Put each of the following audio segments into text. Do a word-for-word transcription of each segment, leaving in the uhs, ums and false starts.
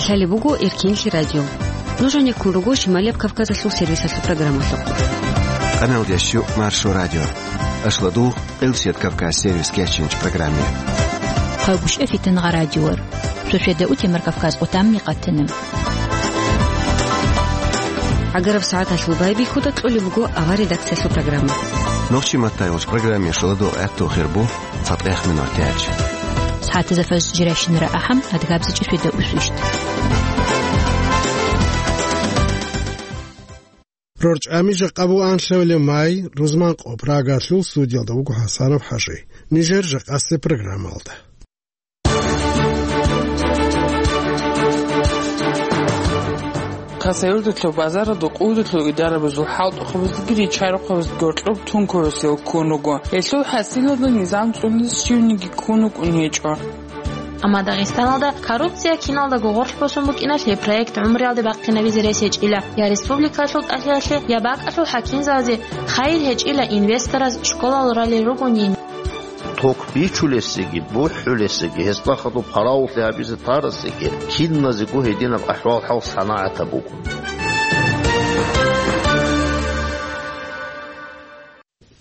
Лъалеб буго Эркенлъи радио. Нуж гьанеккун руго Шималияб Кавказалъул сервисалъул программалъухъ. Къаналдиясчу Маршо радио. Ашладу Къилсият Кавказ сервис кечинч программе. Хъайбушев Фитангъа радиор. Сосведа у Темир Кавказ отамни къатана. ГӀагараб сагӀаталъул байбихьуда кьолеб буго авар редакциялъул программа. Нохчи маттайгъуч программе шуладу гӀатту хирбу цатӀех минутач. СагӀатазда фажр жиращинара ахӀам, адгабзичӀи сосведа усвищ. РорчӀами жакъа буан лъавле май, рузман къо Прагалъул студиялда вуго ХӀасанов ХӀажи. Нижер жакъасеб программалда. Хасавюрталъул базаралда къудалъул идарабазул хӀалтӀухъабаздаги ричарухъабаздаги гьоркьоб тункуясел ккун руго. Гьелъул хӀасилалда низам цӀунизе щивниги ккун рукӀун гьечӀо. Амма Дагъистаналда коррупция киналдаго гъорлъ босун букӀиналъе проект гӀумруялде бахъинабизе рес гьечӀила я республикалъул тӀалъиялъе, я бакӀалъул хӀакимзабазе хайир гьечӀила инвестораз школал ралел ругонин. Ток бичулесеги, бухӀулесеги, гьесда хадуб гьаравуллъи гьабизе тарасеги, киназего гьединаб ахӀвал-хӀал санагӀатаб буго.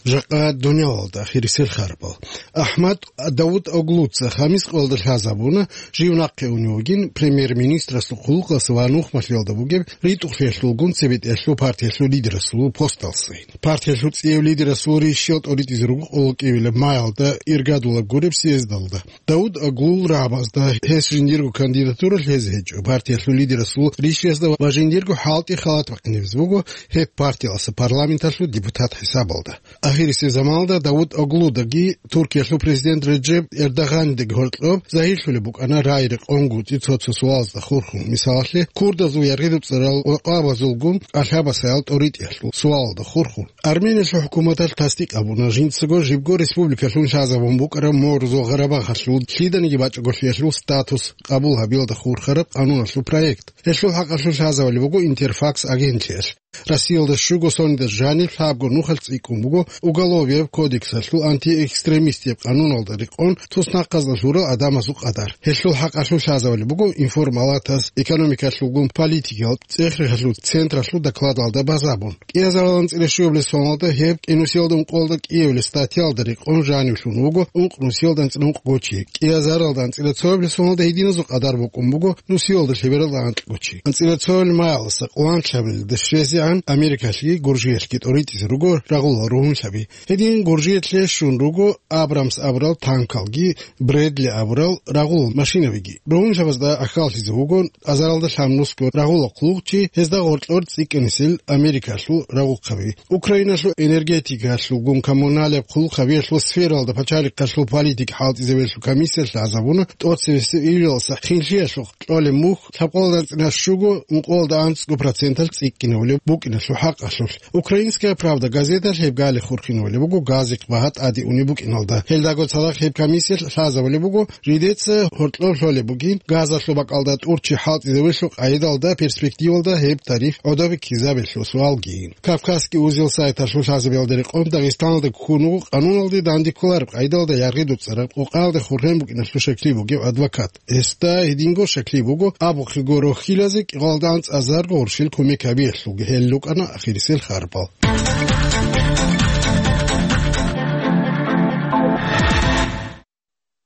Жакъа дунялалда ахирисел харбал. АхӀмад Давутоглуца Хамис къоялда лъазабуна, жив нахъе унев вугин, премьер-министрасул хъулухъалъ ва нухмалъиялда бугеб ритӀухълъиялъулгун цебетӀиялъул партиялъул лидерасул посталъе. Партиялъул цӀияб лидерасул рищал тӀоритӀизе руго къоло кӀивилаб маялда иргадулаб гуреб съездалда. Давутоглул рагӀабазда гьес жиндирго кандидатура лъезе гьечӀо, партиялъул лидерасул рищалазда ва жиндирго хӀалтӀи халат бахъинабизе буго гьеб партиялъа парламенталъул депутат хӀисабалда. Ахирисеб заманалда Давутоглудаги Туркиялъул президент Реджеп Эрдогъанидаги гьоркьоб загьирлъулеб букӀана рагӀи-рекъон гуцӀи цо-цо суалазда хурхун, мисалалъе, курдазул яргъи-дуцӀарал къвакъабазулгун кӀалъабасаял тӀоритӀиялъул суалалда хурхун. Армениялъул хӀукуматалъ тасдикъ гьабуна жинцаго жибго республикалъун лъазабун букӀараб Морзо Гъарабагъалъул лъиданиги бачӀаголъиялъул статус къабул гьабиялда хурхараб къануналъул проект. Гьелъул хӀакъалъулъ лъазабали буго Интерфакс агентлъиялъ. Россиялда щуго сонида жаниб лъабго нухалъ цӀикӀкӀун буго Уголовияб кодексалъул антиэкстремистияб къануналда рекъон туснахъазда лъурал гӀадамазул къадар. Гьелъул хӀакъалъулъ лъазабали буго информалатаз экономикалъулгун политикиял цӀехрихъалъул централъул докладалда базабун. КӀиазаралда анцӀила щуабилеб соналда гьеб кӀинусиялда ункъоялда кӀиабилеб статьялда рекъон жанивлъун вуго ункънусиялда анцӀила ункъго чи. КӀиазаралда анцӀила цоабилеб соналда гьединазул къадар букӀун буго нусиялда лъебералда анкьго чи. АнцӀила цоабилеб маялдаса къоло анлъабилелда щвезегӀан Америкалъги Гуржиялъги тӀоритӀизе руго рагъулал ругьунлъаби. Гьедин Гуржиялъе щун руго Абрамс абурал танкалги, Бредли абурал рагъулал машинабиги. Ругьунлъабазда ахьаллъизе вуго азаралда лъабнусго рагъулал хъулухъчи, гьезда гъоркьор цӀикӀкӀинисел Америкалъул рагъухъаби. Украиналъул энергетикалъулгун коммуналияб хъулухъабиялъул сфералда пачалихъалъул политика хӀалтӀизабиялъул комиссиялъ лъазабуна тӀоцебесеб июлалдаса хинлъиялъухъ кьолеб мухь лъабкъоялда анцӀила щуго ункъоялда анцӀго проценталъ цӀикӀкӀинабулеб букӀиналъул хӀакъалъулъ. Украинская правда газеталъ гьеб гали хурхинабулеб буго газихъ багьа тӀаде унеб букӀиналда. Гьелдаго цадахъ гьеб комиссиялъ лъазабулеб буго, жидеца гьоркьоб лъолеб бугин газалъул бакӀалда тӀур чи хӀалтӀизабиялъул къайдалда перспективалда гьеб тариф гӀодобе ккезабиялъул суалгийин. Кавказский узел сайталъул лъазабиялда рекъон Дагъистаналда ккун вуго къануналде дандекколареб къайдалда яргъи-дуцӀараб къокъаялда хурхен букӀиналъул щаклъи бугев адвокат. Гьесда гьединго щаклъи буго, абухъего рохьилазе кӀикъоялда анцӀазарго гъурщил кумек гьабиялъулги гьел рукӀана ахирисел харбал.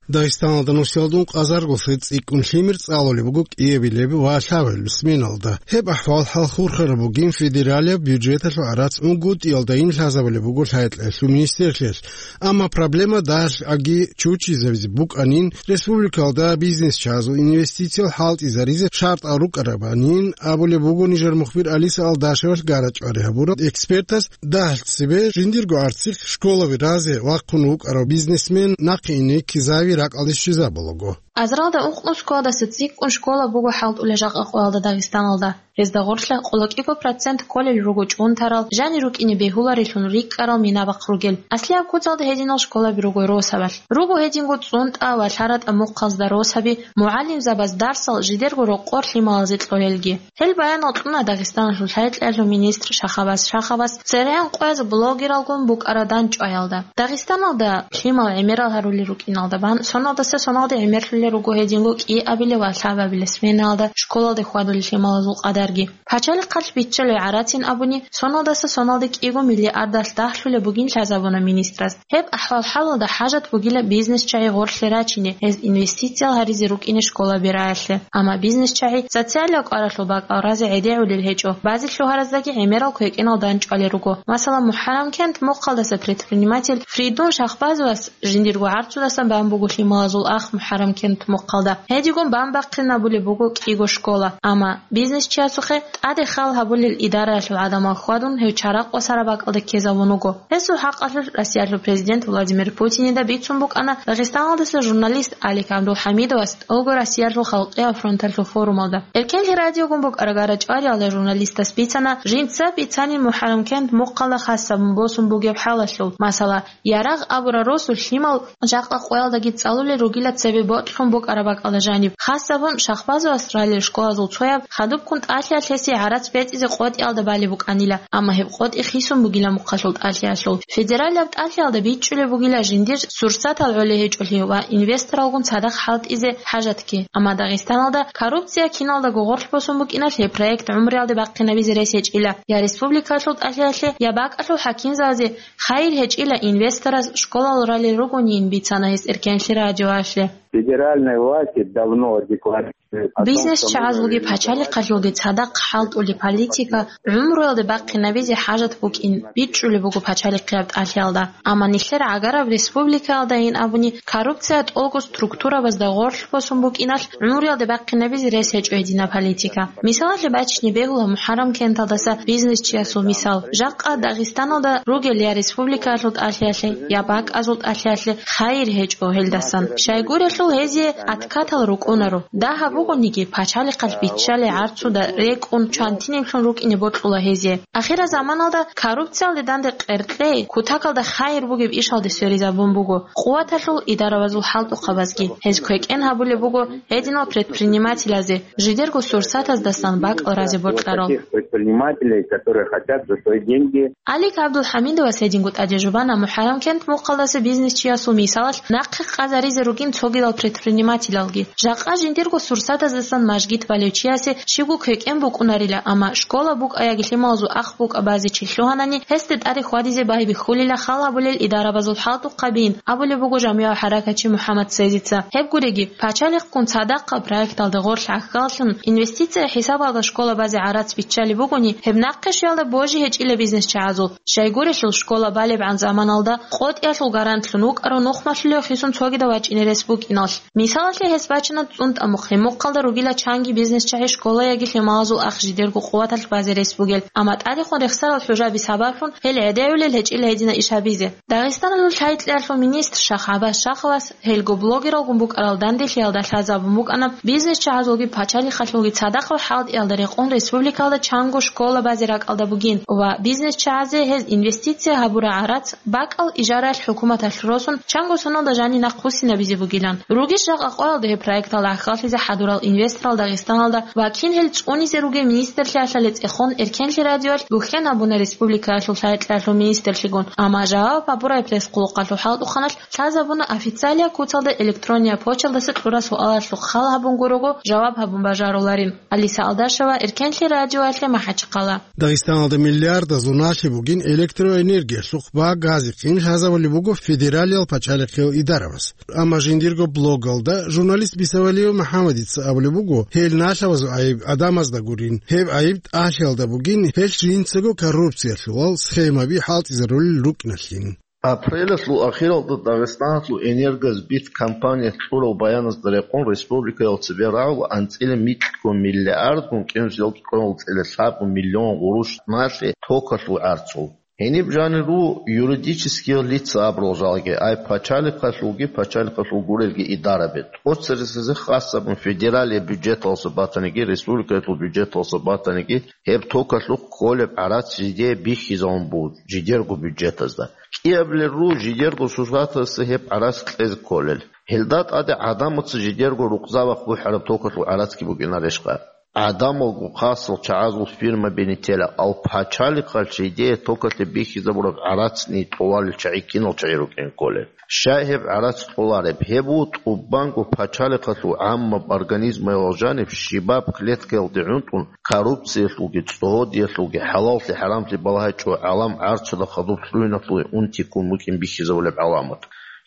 Дагъистаналда нусиялда ункъазарго лъи цӀикӀкӀун лъимер цӀалулеб буго кӀиабилеб ва лъабабилеб сменалда. Гьеб ахӀвал-хӀал хурхараб бугин федералияб бюджеталъул гӀарац унгутӀиялдайин лъазабулеб буго лъайкьаялъул министрлъиялъ. Амма проблема дагьалъги чучизабизе букӀанин, республикалда бизнесчагьазул инвестициял хӀалтӀизаризе шартӀал рукӀарабанин абулеб буго нижер мухбир Алиса Алдашевалъ гарачӀвари гьабурал экспертас. Дагьалъ цебе жиндирго арцихъ школаби разе вахъун вукӀарав бизнесмен нахъе ине ккезави ракӀалде щвезабулаго. Азаралда ункънусгоялдаса цӀикӀкӀун школа буго хӀалтӀулел жакъа къоялда Дагъистаналда. Гьезда гъорлъа къоло кӀиго процент кколел руго чӀунтарал, жанир рукӀине бегьуларелъун рикӀкӀарал минабахъ ругел. Аслияб куцалда гьединал школаби руго росабалъ. Руго гьединго цӀунтӀа ва лъаратӀа мухъазда росаби, мугӀалимзабаз дарсал жидерго рокъор лъималазе кьолелги. Гьел баянал кьуна Дагъистаналъул лъайкьаялъул министр Шахабаз Шахабаз церегӀан къояз блогералгун букӀараб дандчӀваялда. Дагъистаналда лъимал гӀемерал гьарулел рукӀиналда бан соналдаса соналде гӀемерлъулел руго гьединго кӀиабилеб ва лъабабилеб сменаялда школалде хьвадулел лъималазул къадарги. Пачалихъалъ биччалев гӀарацин абуни, соналдаса соналде кӀиго миллиардалъ дагьлъулеб бугин лъазабуна министрас. Гьеб ахӀвал-хӀалалда хӀажат бугила бизнесчагӀи гъорлъе рачине, гьез инвестициял гьаризе рукӀине школа бераялъе. Амма бизнесчагӀи социалияб кӀваралъул бакӀал разе гӀедегӀулел гьечӀо, базе лъугьараздаги гӀемерал квекӀенал данчӀвалел руго. Масала, МухӀаррамкент мухъалдаса предприниматель Фридун Шахбазовас жиндирго гӀарцудасан бан буго лъималазул ах МухӀаррамкент мухъалда. Гьедигун бан бахъинабулеб буго кӀиго школа. Амма бизнесчиясухъе тӀаде хал гьабулел идараялъул гӀадамал хьвадун, гьев чаракъ ва сара бакӀалде ккезавун вуго. Гьесул хӀакъалъулъ Россиялъул президент Владимир Путинида бицун букӀана Дагъистаналдаса журналист Алик ГӀабдулхӀамидовас тӀолго Россиялъул халкъиял фронталъул форумалда. Эркенлъи радиогун букӀарагара чӀвариялда журналистас бицана жинца бицанин МухӀаррамкент мухъалда хасабун босун бугеб хӀалалъул. Масала, Ярагъ абурал росу лъимал жакъа къоялдаги цӀалулел ругила цебе бокьун букӀараб бакӀалда жаниб. Хасабун Шахбазовас ралел школазул цояб хадубккун тӀалъиялъ гьесие гӀарац бецӀизе къотӀиялда балеб букӀанила, амма гьеб къотӀи хисун бугила мухъалъул тӀалъиялъул. Федералияб тӀалъиялда бичӀчӀулеб бугила жиндир сурсатал гӀолей гьечӀолъи ва инвесторалгун цадахъ хӀалтӀизе хӀажатги. Амма Дагъистаналда коррупция киналдаго гъорлъ босун букӀиналъ гьеб проект гӀумруялде бахъинабизе рес гьечӀила я республикалъул тӀалъиялъе, я бакӀалъул хӀакимзабазе. Хайир гьечӀила инвесторас школал ралел ругонин, бицана гьес Эркенлъи радиоялъе. Федеральные власти давно декларируют о том, что мы Бизнес чагӀазулги пачалихъалъулги цадахъ хӀалтӀулеб политика гӀумруялде бахъинабизе хӀажат букӀин бичӀчӀулеб буго пачалихъияб тӀалъиялда. Амма нилъер гӀагараб республикаялдайин абуни, коррупция тӀолго структурабазда гъорлъ босун букӀиналъ гӀумруялде бахъинабизе рес гьечӀо гьединаб политика. Мисалалъе бачине бегьула МухӀаррамкенталдаса бизнесчиясул мисал. Жакъа Дагъистаналда ругел я республикаялъул тӀалъиялъе, я бакӀазул тӀалъиялъе хайир гьечӀо гьелдасан. Щайгурелъул гьезие откатал рукӀунаро. Дагьаб бугониги, пачалихъалъ биччалей гӀарцуда рекӀун чантинеблъун рукӀине бокьула гьезие. Ахирзаманалда коррупциялде данде къеркьей, кутакалда хайир бугеб ишалде сверизабун буго къуваталъул идарабазул хӀалтӀухъабазги. Гьез квекӀен гьабулеб буго гьединал предпринимателазе, жидерго сурсатаздасан бакӀал разе бокьарал. Таких предпринимателей, которые хотят за свои деньги. Алик ГӀабдулхӀамидовас гьединго тӀаде жубана МухӀаррамкент мухъалдаса бизнесчиясул мисалалъ нахъе къазаризе ругин цогидал предпринимателалги. Жакъа жиндирго сурсатаздасан мажгит балев чиясе щибго квекӀен букӀунарила, амма школа букӀа яги лъималазул ах букӀа базе чи лъугьанани, гьесде тӀаде хьвадизе байбихьулила хал гьабулел идарабазул хӀалтӀухъабин, абулеб буго жамигӀав хӀаракатчи МухӀаммад Цезица. Гьеб гуриги, пачалихъгун цадахъаб проекталда гъорлъ гӀахьаллъун, инвестиция хӀисабалда школа базе гӀарац биччалеб бугони, гьеб нахъе щвелда божи гьечӀила бизнесчагӀазул. Щайгурелъул школа балебгӀан заманалда къотӀиялъул гарантлъун вукӀаро нухмалъулев хисун цогидав вачӀине рес букӀиналъ. Мисалалъе гьес бачана цӀунтӀа мухъ, гьеб мухъалда ругила чанги бизнесчагӀи школа яги лъималазул ах жидерго къуваталъ базе рес бугел, амма тӀадехун рехсарал хӀужаби сабаблъун гьел гӀедегӀулел гьечӀила гьедина иш гьабизе. Дагъистаналъул лъай-кьеялъул министр Шах ГӀаббас Шаховас гьелго блогералгун букӀарал данделъиялда лъазабун букӀана бизнесчагӀазулги пачалихъалъулги цадахъал хӀалтӀиялда рекъон республикалда чанго школа базе ракӀалда бугин ва бизнесчагӀазе гьез инвестиция гьабураб гӀарац бакӀал ижараялъ хӀукуматалъ росун, чанго соналда жани нахъвуссинабизе бугилан. Ругищ жакъа къоялда гьеб проекталда гӀахьаллъизе хӀадурал инвесторал Дагъистаналда ва кин гьел цӀунизе ругел министрлъиялъа лецӀехон Эркенлъи радиоялъ гухӀен абуна республикаялъул лъай-кьеялъул министрлъигун, амма жаваб гьабурай пресс-къулухъалъул хӀалтӀухъаналъ лъазабуна официалияб куцалда электрониял почталдаса кьурал суалалъухъ хал гьабун гурого жаваб гьабун бажаруларин. Алиса Алдашева, Эркенлъи радиоялъе МахӀачхъала. Дагъистаналда миллиардазул налъи бугин электроэнергиялъухъ ва газихъин лъазабулеб буго федералиял пачалихъиял идарабаз. Амма жиндирго блогалда журналист Бисавалиев МухӀаммадица абулеб буго, гьел налъабазул гӀайиб гӀадамазда гурин, гьеб гӀайиб тӀалъиялда бугин, гьелъ жинцаго коррупциялъулал схемаби хӀалтӀизарулел рукӀиналъин. Апрелалъул ахиралда Дагъистаналъул «Энергосбыт» компания кьурал баяназда рекъон, республикаял цебе рагӀула анцӀила микьгун миллиардгун кӀинусиялда кьурал цӀила лъабгун миллион гъурущ налъи токалъул гӀарцул. Гьениб жанир руго юридические лица абурал жалги, ай пачалихъалъулги, пачалихъалъул гурелги идараби. ТӀоцересезе хасабун федералияб бюджеталъа батаниги, республикаялъул бюджеталъа батаниги, гьеб токалъухъ кколеб гӀарац жидее бихьизавун буго жидерго бюджетазда. КӀиабилел руго жидерго сурсатаздаса гьеб гӀарац кьезе кколел. Гьелда тӀаде гӀадамаца жидерго рукъзабахъ бухӀараб токалъул гӀарацги букӀинарешха? гӀадамалго хасал чагӀазул фирма бенитела, ал пачалихъалъ жидее токалъе бихьизабураб гӀарацни кьоларел чагӀи кинал чагӀи рукӀин кколел. Щай гьеб гӀарац кьолареб? Гьеб буго тӀубанго пачалихъалъул гӀаммаб организмаялъ жаниб щибаб клеткаялде гӀунтӀун, коррупциялъулги, цӀогьодиялъулги, хӀалаллъи-хӀарамлъи балагьичӀо гӀалам гӀарцуда хадуб лъугьиналъуе унти ккун букӀин бихьизабулеб гӀаламат.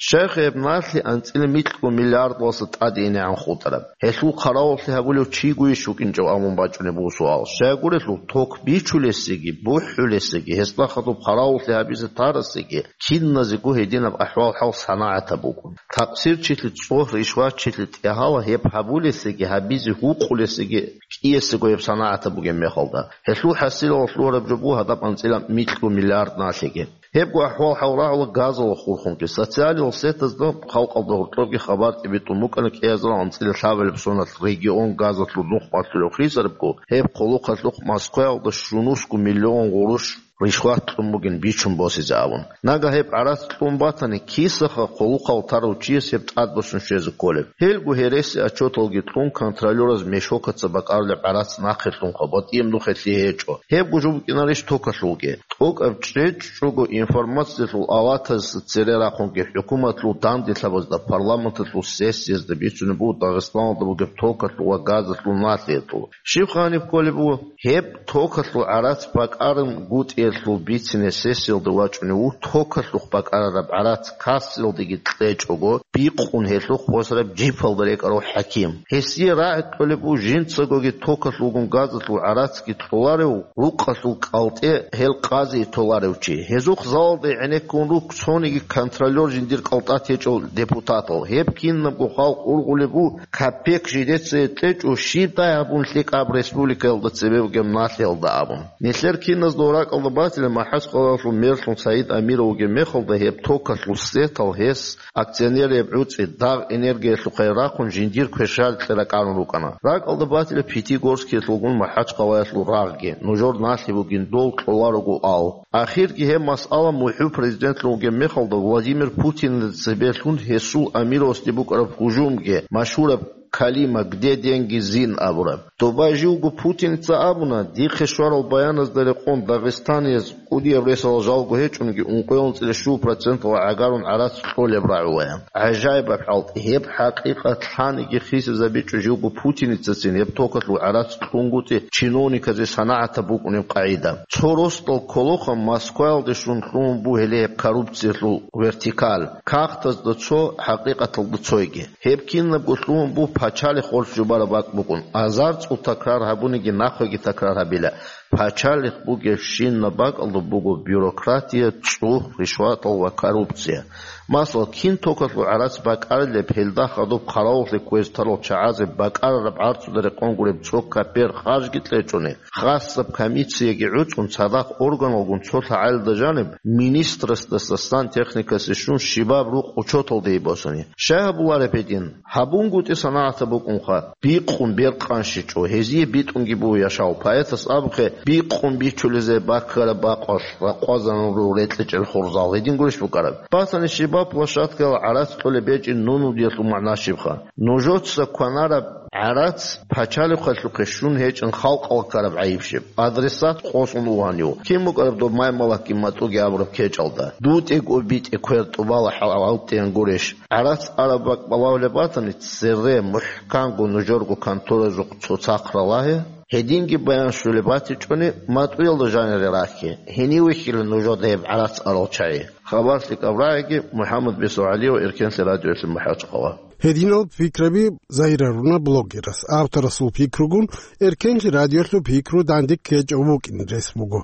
Щайха гьеб налъи анцӀила микьго миллиардалъа тӀаде инегӀан хутӀараб? Гьелъул хъаравуллъи гьабулев чигойищ вукӀинчӀев абун бачӀунеб буго суал. Щайгурелъул ток бичулесеги, бухӀулесеги, гьесда хадуб хъаравуллъи гьабизе тарасеги, киназего гьединаб ахӀвал-хӀал санагӀатаб букӀун. Такъсирчилъи цӀогь, ришватчилъи тӀегьала гьеб гьабулесеги, гьабизе гьукъулесеги кӀиясего гьеб санагӀатаб бугеб мехалда. Гьелъул хӀасилалъ лъугьараб жо буго гьадаб анцӀила микьго миллиард налъиги. Гьебго ахӀвал-хӀал рагӀула газалда хурхунги. Социалил сетазда халкъалда гьоркьобги хабар тӀибитӀун букӀана кӀиазарал анцӀила лъабабилеб соналъ регион газалъул нух малъулев хисарабго, гьеб хъулухъалъухъ Москваялда щунусго миллион гъурущ ришват кьун бугин бичун босизе абун. Нагагь гьеб гӀарац кьун батани, кисаха хъулухъал тарав чияс гьеб тӀадбосун щвезе кколеб? Гьелго гьереси отчеталги кьун, контролёраз мешокаца бакӀарулеб гӀарац нахъе лъунха, батӀияб нухалъ гьечӀо. Гьебго жо букӀинарищ токалъулги? ТӀокӀаб чӀечӀого информациялъул аватазда цере рахъунги хӀукуматалъул данделъабазда, парламенталъул сессиязда бицунеб буго Дагъистаналда бугеб токалъул ва газалъул налъиялъул. Щибха гьаниб кколеб буго? Гьеб токалъул гӀарац бакӀарабгутӀиялъул бицине сессиялда вачӀунев вуго токалъухъ бакӀарараб гӀарац кассаялдеги кьечӀого, бикъун гьелъухъ босараб жипалда рекӀарав хӀаким. Гьесие рагӀи кьолеб буго жинцагоги токалъулгун газалъул гӀарацги кьоларев, рукъалъул кӀалтӀе гьел къазие толарев чи. Гьезухъ залалда гӀенеккун руго цониги контролёр жиндир кӀалтӀа течӀев депутатал. Гьеб кинабго халкъ ургъулеб буго, капек жидеца кьечӀо, щибдай гьабун лъикӀаб республикаялда цебе бугеб налъиялда абун. Нилъер киназда ракӀалда батила МахӀачхъалаялъул мерлъун Саид Амиров вугеб мехалда гьеб токалъул сетал гьес акционераб гӀуцӀи Дагъ энергиялъухъе рахъун жиндир квешарикье ракӀарун рукӀана. РакӀалда батила Пятигорскиялъулгун МахӀачхъалаялъул рагъги, нужер налъи бугин дол кьоларого ал. Ахирги гьеб масъала мухӀу президентлъун вугеб мехалда Владимир Путинил цебе лъун гьесул Амировасде букӀараб гьужумги, машгьураб калима «Где деньги, Зин?» абураб. Доба живго Путиница абуна, дихъе щварал баяназда рекъон дагъистанияз кӀудияб ресалда жалго гьечӀониги, ункъоялда анцӀила щуго проценталда гӀагарун гӀарац кьолеб рагӀулаян. ГӀажаибаб хӀалтӀи, гьеб хӀакъикъат лъаниги хисизабичӀо живго Путиницацин гьеб токалъул гӀарац кьунгутӀи чиновниказе санагӀатаб букӀунеб къагӀида. Цо росдал кколоха Москваялде щун лъугьун бугелъул гьеб коррупциялъул вертикаль, кагътазда цо, хӀакъикъаталда цойги. Гьеб кинабго лъугьун буго пачалихъ гъорлъ жубараб бакӀ букӀун. Азар цӀул такрар гьабуниги, нахъеги такрар гьабила. Пачалихъ бугебщинаб бакӀалда буго бюрократия, цӀух, ришватал ва коррупция. Масала, кин токалъул гӀарац бакӀарилеб, гьелда хадуб хъаравуллъи кквезе тарал чагӀазе бакӀарараб гӀарцуда рекъон гуреб цо капер харжги кьечӀони, хасаб комиссияги гӀуцӀун, цадахъ органалгун цо лъагӀалида жаниб министрасдаса сантехникасе щун щибаб рукъ учеталде босани. Щай гьабулареб гьедин? ГьабунгутӀи санагӀатаб букӀунха, бикъун бер къанщичӀо, гьезие битӀунги буго яшав. Поэтас абухъе, бикъун бичулезе баккараб бакъалъ ракъвазарун руго рекьичӀел хурзал. Гьедин гурищ букӀараб? Батани щибаб площадкаялда гӀарац кьолеб гьечӀин нунудиялъул магӀна щибха? Нужеца кванараб гӀарац пачалихъалъухъе щун гьечӀин халкъалъ ккараб гӀайиб щиб? Адресат къосун вугьанив? Кин букӀараб доб маймалакги матӀуги абураб кечӀалда? ДутӀего битӀе квер тӀубала хӀалалден гурищ? ГӀарац араб бакӀ балагьулеб батани, цере мухӀканго нужерго конторазухъ цоцахъ ралагье. Гьединги баян щолеб батичӀони, матӀуялда жанире рахье. Гьенив вихьила нужеда гьеб гӀарац арал чагӀи. Хабар лъикӀаб рагӀиги, МухӀаммад Бесо ГӀалиев, Эркенлъи радиоялъе МахӀачхъала. Гьединал пикраби загьирлъуна блогерас. Авторасул пикругун Эркенлъи радиоялъул пикру данде ккечӀев вукӀин рес буго.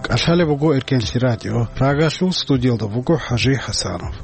КӀалъалеб буго Эркенлъи радио. Рагалъул студиялда буго ХӀажи ХӀасанов.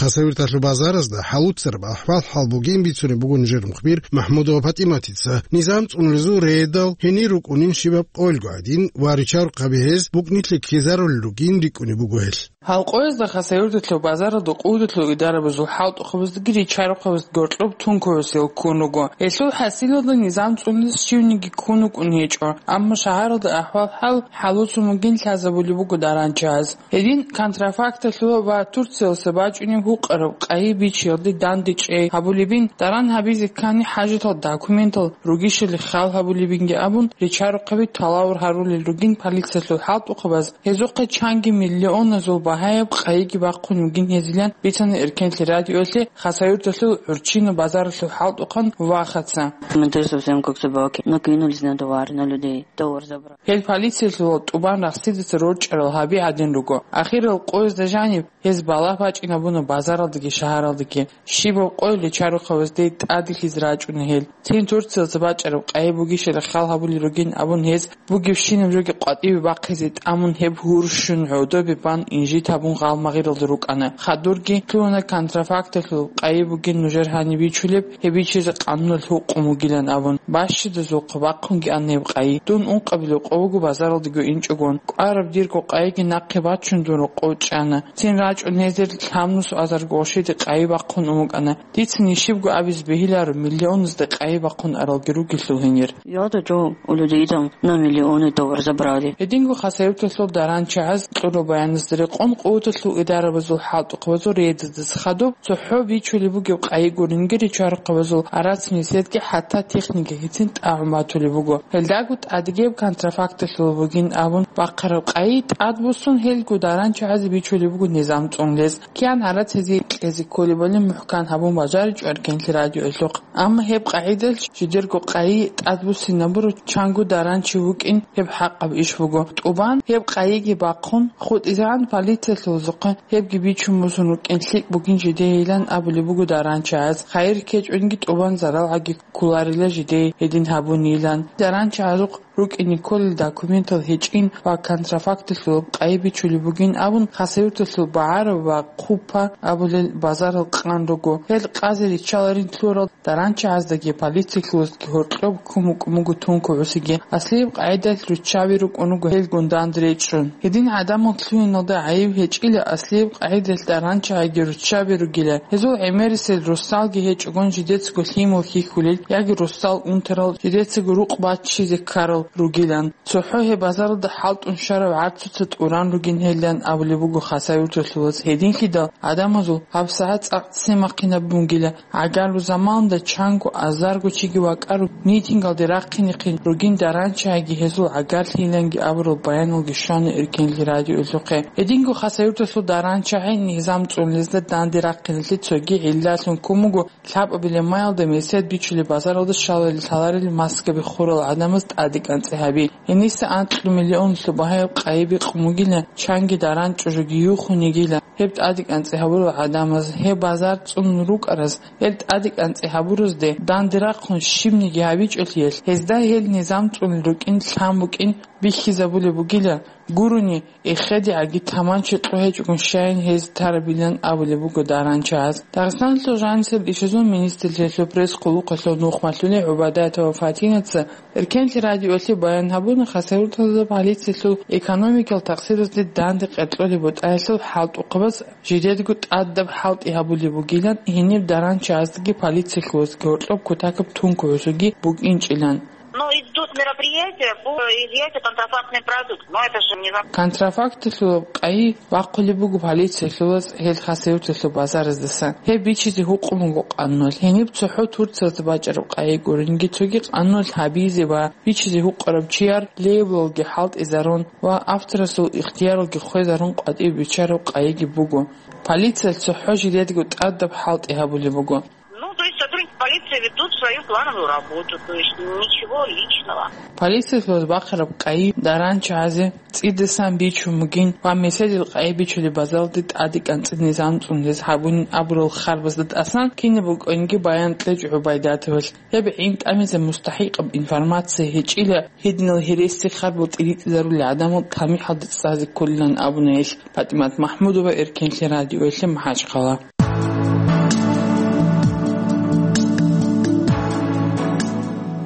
Хасавюрталъул базаразда хӀалуцараб ахӀвал-хӀал бугин бицунеб буго нижер мухбир МахӀмудова ПатӀиматица. Низам цӀунулезул рейдал гьенир рукӀунин щибаб къоялго гӀадин ва ричарухъаби гьез букӀнилъи ккезарулел ругин рикӀкӀунеб буго гьелъ. Гьалкъоязда Хасавюрталъул базаралда къуваталъул идарабазул хӀалтӀухъабаздаги ричарухъабаздаги гьоркьоб тункугӀусел ккун руго. Гьелъул хӀасилалда низам цӀунулес щивниги ккун вукӀун гьечӀо, амма шагьаралда ахӀвал-хӀал хӀалуцун бугин лъазабулеб буго даранчагӀаз. Гьедин контрафакталъула ва Турциялъа бачӀунеб гьукъараб къайи бичиялде дандечӀей гьабулебин, даран гьабизе ккани хӀажатал документал ругищали хал гьабулебинги абун, ричарухъаби талавар гьарулел ругин полициялъул хӀалтӀухъабаз. Гьезухъе чанги миллионазул багьаяб къайиги бахъун бугин гьезилан бицана Эркенлъи радиоялъе Хасавюрталъул ГӀурччина базаралъул хӀалтӀухъан Вахаца. Смотри, совсем как собаки. Накинулись на товар, на людей. Товар забрали. Гьел полициялъул тӀубан рахсидаса рорчӀарал гьаби гӀадин руго. Ахирал къоязда жаниб гьез балагь бачӀинабуна базаралдаги шагьаралдаги. Щибаб къойил ричарухъабазде тӀаделъизе рачӀуна гьел. Цин Турциялъа бачӀараб къайи бугищали хал гьабулел ругин абун гьез бугебщинаб жоги къватӀибе бахъизе тӀамун гьеб гьурщун гӀодобе бан инжит гьабун гъалмагъиралда рукӀана. Хадурги лъугьана контрафакталъул къайи бугин нужер гьаниб бичулеб, гьеб бичизе къануналъ гьукъун бугилан абун. Бащидазухъа бахъунги ана гьеб къайи. Дун ункъабилеб къо буго базаралдаго инчӀогон. КӀвараб дирго къайиги нахъе бачун дун рокъов чӀана. Цин рачӀун гьезер лъабнус азарго гъошиде къайи бахъун ун букӀана. Дица нижибго абизе бегьиларо миллионазда къайи бахъун аралги ругелъул гьенир. Я да жо, у людей там на миллионы товар забрали. Гьединго Хасавюрталъул даранчагӀаз кьураб баяназда рекъон къуваталъул идарабазул хӀалтӀухъабазул рейдазда хадуб цохӀо бичулеб бугеб къайи гуринги ричарухъабазул арацин эседги хӀатта техникагицин тӀагӀун батулеб буго. Гьелдаго тӀадегиб контрафакталъул бугин абун бахъараб къайи тӀадбуссун гьелго даранчагӀазе бичулеб буго низам цӀунулес. Киян гьарац гьезие кьезе кколебали мухӀкан гьабун бажаричӀо Эркенлъи радиоялъухъ. Амма гьеб къагӀидалъ жидерго къайи тӀадбуссинабура чанго даранчи вукӀин гьеб хӀакъаб иш буго. ТӀубан гьеб къайиги бахъун, хутӀизегӀан полициялъулазухъе гьебги бичун босун рукӀин лъикӀ бугин жидейилан абулеб буго даранчагӀаз. Хайир ккечӀонги тӀубан заралгӀаги кколарила жидее гьедин гьабунилан. ДаранчагӀазухъ рукӀине кколел документал гьечӀин ва контрафакталъулаб къайи бичулеб бугин абун, Хасавюрталъул БагӀараб ва Хъупа абулел базарал къан руго. Гьел къазе риччаларин лъурал даранчагӀаздаги полициялъулаздаги гьоркьоб ккун букӀун буго тункугӀусиги. Аслияб къагӀидалъ руччаби рукӀун руго гьелгун данде речӀчӀун. Гьедин гӀадамал лъугьиналда гӀайиб гьечӀила, аслияб къагӀидалъ даранчагӀиги руччаби ругила. Гьезул гӀемерисел росалги гьечӀогон жидецаго лъимал хьихьулел яги росал унтарал жидецаго рукъ баччизе ккарал ругилан. ЦохӀо гьеб базаралда хӀалтӀун щварав гӀарцуца тӀуран ругин гьелилан абулеб буго Хасавюрталъулаз. Гьединлъидал гӀадамазул гьабсагӀат цӀакъ цемахъинаб бугила, гӀагарлу заманалда чанго азарго чиги вакӀарун митингалде рахъинехъин ругин даранчагӀиги гьезул гӀагарлъиланги абурал баяналги щвана Эркенлъи радиоялъухъе. Гьединго Хасавюрталъул даранчагӀи низам цӀунулезда данде рахъиналъе цоги гӀиллалъун ккун буго. Лъабабилеб маялда месед бичулеб базаралда щаларел-лъаларел маскаби хурал гӀадамаз тӀадекӀанцӀи гьаби. Гьениса анкьго миллионлъул багьаяб къайи бикъун бугила, чанги даранчӀожоги юхун йигила. Гьеб тӀадекӀанцӀи гьабурал гӀадамаз, гьеб базар цӀунун рукӀараз, гьел тӀадекӀанцӀи гьабуразде данде рахъун щибниги гьабичӀолъиялъ, гьезда гьел низам цӀунулел рукӀин лъан букӀин бихьизабулеб бугила, гурони, эхедигӀаги таманчи кьо гьечӀогун щайин гьез тарабилан абулеб буго даранчагӀаз. Дагъистаналъул жанисел ишазул министрлъиялъул пресс-къулухъалъул нухмалъули ГӀубайдатова Фатинаца Эркенлъи радиоялъе баян гьабуна, Хасавюрталда полициялъул экономикал тахсиразде данде къеркьолеб бутӀаялъул хӀалтӀухъабаз жидедго тӀадаб хӀалтӀи гьабулеб бугилан, гьениб даранчагӀаздаги полициялъулаздаги гьоркьоб кутакаб тункугӀусиги букӀинчӀилан. Но идут мероприятия по изъятию контрафактной продукции. Но это же не зак- Контрафакталъулаб къайи бахъулеб буго полициялъулаз гьел Хасавюрталъул базараздасан. Гьеб бичизе гьукъун буго къануналъ. Гьениб цохӀо Турциялда бачӀараб къайи гуринги цоги къануналъ гьабизе ва бичизе гьукъараб чияр лейблалги хӀалтӀизарун ва авторасул ихтияралги хвезарун къватӀибе биччараб къайиги буго. Полициялъ цохӀо жидедго тӀадаб хӀалтӀи гьабулеб буго. Ну, то есть сотрудники полиции ведут свою плановую работу, то есть ничего личного. Полициялъулаз бахъараб къайи даранчагӀазе цӀидасан бичун бугин ва меседил къайи бичулеб базаралде тӀадекӀанцӀи низам цӀунулез гьабунин абурал харбазда тӀасан кинаб букӀанги баян кьечӀо ГӀубайдатовалъ. Гьеб гӀин тӀамизе мустахӀикъаб информация гьечӀила, гьединал гьереси харбал тӀиритӀизарулел гӀадамал тамихӀалде цӀазе кколилан абуна гьелъ. ПатӀимат МахӀмудова, Эркенлъи радиоялъе, МахӀачхъала.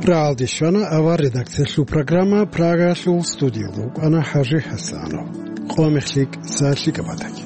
Рагьалде щвана авар редакциялъул программа, Прагалъул студиялда вукӀана ХӀажи ХӀасанов. Къо мехлъи, са лъикӀаб батаги.